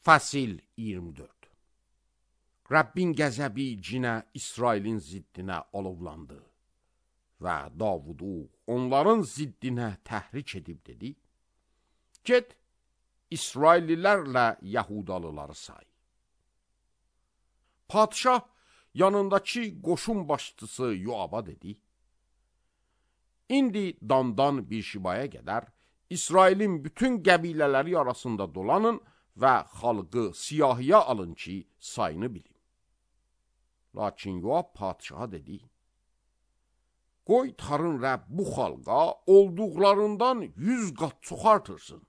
Fəsil 24. Rəbbin qəzəbi cinə İsrailin ziddinə alovlandı və Davudu onların ziddinə təhrik edib dedi: Get, İsraillilərlə Yahudalıları say. Padişah yanındakı qoşun başçısı Yoaba dedi: İndi Dandan bir şibaya qədər İsrailin bütün qəbilələri arasında dolanın və xalqı siyahıya alın ki, sayını bilin. Lakin Yoab padişaha dedi: Qoy tarın Rəbb bu xalqa olduqlarından 100 qat çox artırsın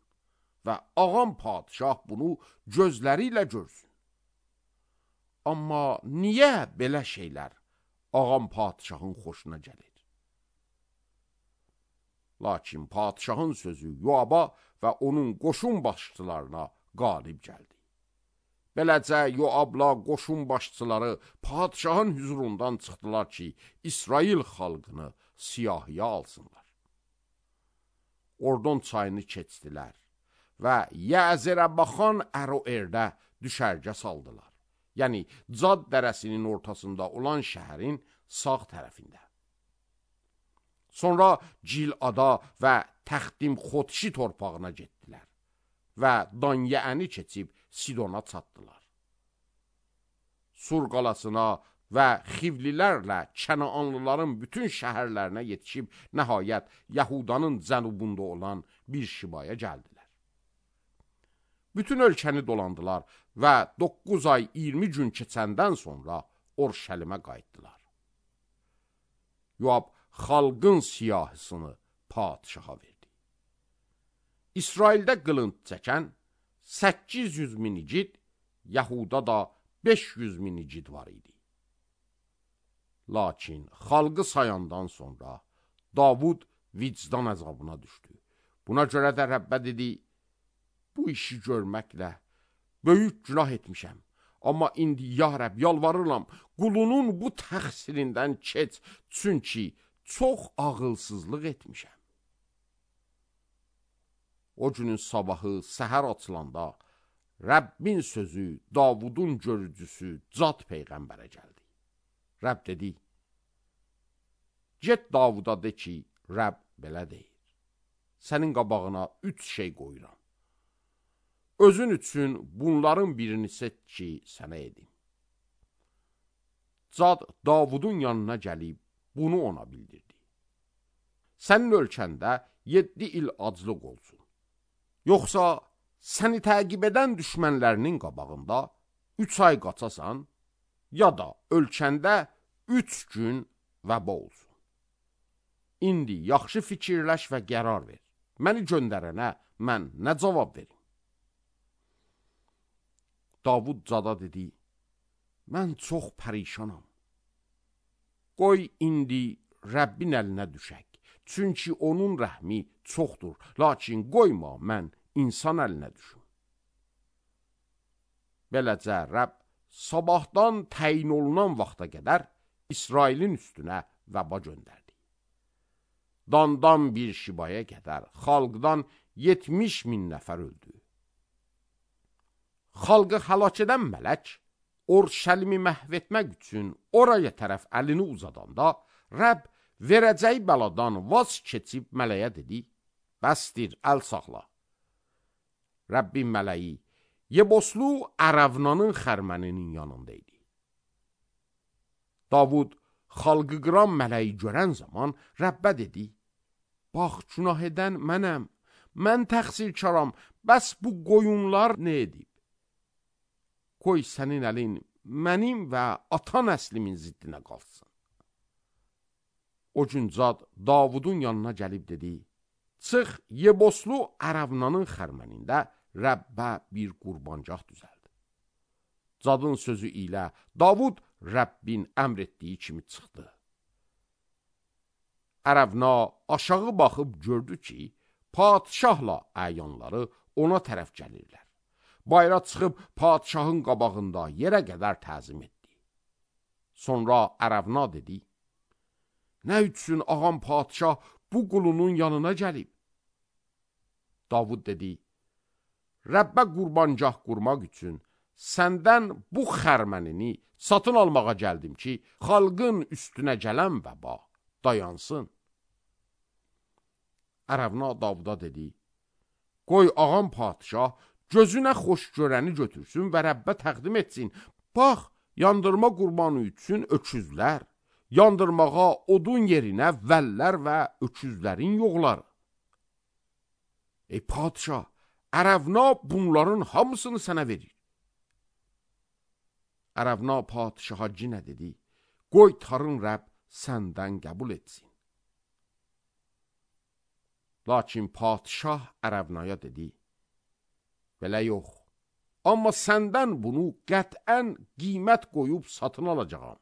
və ağam padişah bunu gözləri ilə görsün. Amma niyə belə şeylər ağam padişahın xoşuna gəlir? Lakin padişahın sözü Yoaba və onun qoşun başçılarına qalib gəldi. Beləcə Yoabla qoşun başçıları padişahın hüzurundan çıxdılar ki, İsrail xalqını siyahıya alsınlar. Ordon çayını keçdilər və Yəzərə baxan Əroerdə düşərgə saldılar. Yəni Cad dərəsinin ortasında olan şəhərin sağ tərəfində. Sonra Cilada və Təxtim Xotşi torpağına getdilər və Danyəəni keçib Sidona çatdılar. Sur qalasına və Xivlilərlə Kənaanlıların bütün şəhərlərinə yetişib nəhayət Yahudanın cənubunda olan bir şibaya gəldilər. Bütün ölkəni dolandılar və 9 ay 20 gün keçəndən sonra Orşəlimə qayıtdılar. Yoab xalqın siyahısını padişaha verdi. İsraildə qılınc çəkən 800 min igid, Yahuda da 500 min igid var idi. Lakin xalqı sayandan sonra Davud vicdan əzabına düşdü. Buna görə də Rəbbə dedi: Bu işi görməklə böyük günah etmişəm. Amma indi ya Rəbb yalvarıram, qulunun bu təqsirindən keç, çünki çox ağılsızlıq etmişəm. O günün sabahı səhər açılanda Rəbbin sözü Davudun görücüsü Cad peyğəmbərə gəldi. Rəbb dedi: Get Davuda de ki, Rəbb belə deyir: Sənin qabağına 3 şey qoyuram. Özün üçün bunların birini seç ki, sənə edim. Cad Davudun yanına gəlib bunu ona bildirdi. Sənin ölkəndə 7 il aclıq olsun. Yoxsa səni təqib edən düşmənlərinin qabağında 3 ay qaçasan, ya da ölkəndə 3 gün vəba olsun. İndi yaxşı fikirləş və qərar ver. Məni göndərənə mən nə cavab verim? Davud Cada dedi: Mən çox pərişanam. Qoy indi Rəbbin əlinə düşək. Çünki onun rəhmi çoxdur. Lakin qoyma mən insan əlinə düşüm. Beləcə Rəbb sabahdan təyin olunan vaxta qədər İsrailin üstünə vəba göndərdi. Dandan bir şibaya qədər xalqdan 70 min nəfər öldü. Xalqı həlak edən mələk Orşəlimi məhv etmək üçün oraya tərəf əlini uzadanda Rəbb verəcəyi bəladan vaz keçib mələyə dedi: Bəsdir, əl saxla. Rəbbin mələyi Yeboslu Ərəvnanın xərməninin yanında idi. Davud xalqı qıran mələyi görən zaman Rəbbə dedi: Bax, günah edən mənəm, mən təqsirkaram, bəs bu qoyunlar nə edib? Qoy sənin əlin mənim və ata nəslimin ziddinə qalsın. O gün Cad Davudun yanına gəlib dedi: Çıx, Yeboslu Ərəvnanın xərmənində Rəbbə bir qurbancaq düzəldi. Cadın sözü ilə Davud Rəbbin əmr etdiyi kimi çıxdı. Ərəvna aşağı baxıb gördü ki, padişahla əyanları ona tərəf gəlirlər. Bayra çıxıb padişahın qabağında yerə qədər təzim etdi. Sonra Ərəvna dedi: Nə üçün ağam padişah bu qulunun yanına gəlib? Davud dedi: Rəbbə qurbancaq qurmaq üçün səndən bu xərmənini satın almağa gəldim ki, xalqın üstünə gələn vəba dayansın. Ərəvna Davuda dedi, qoy ağam padişah gözünə xoş görəni götürsün və Rəbbə təqdim etsin. Bax, yandırma qurbanı üçün öküzlər, yandırmağa odun yerinə vəllər və öküzlərin yoxları. Ey padişah, Ərəvna bunların hamısını sənə verir. Ərəvna padişaha cinə dedi, qoy tarın Rəbb səndən qəbul etsin. Lakin padişah Ərəvnaya dedi, belə yox, amma səndən bunu qətən qiymət qoyub satın alacağam.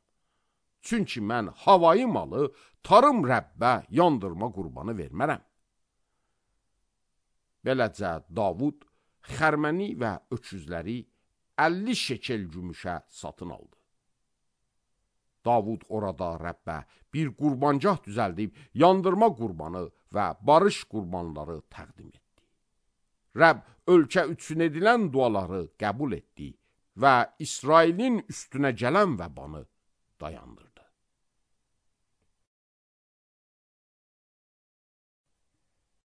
Çünki mən havayı malı tarım Rəbbə yandırma qurbanı vermərəm. Beləcə Davud xərməni və öküzləri 50 şekel gümüşə satın aldı. Davud orada Rəbbə bir qurbancaq düzəldib yandırma qurbanı və barış qurbanları təqdim etdi. Rəbb ölkə üçün edilən duaları qəbul etdi və İsrailin üstünə gələn vəbanı dayandırdı.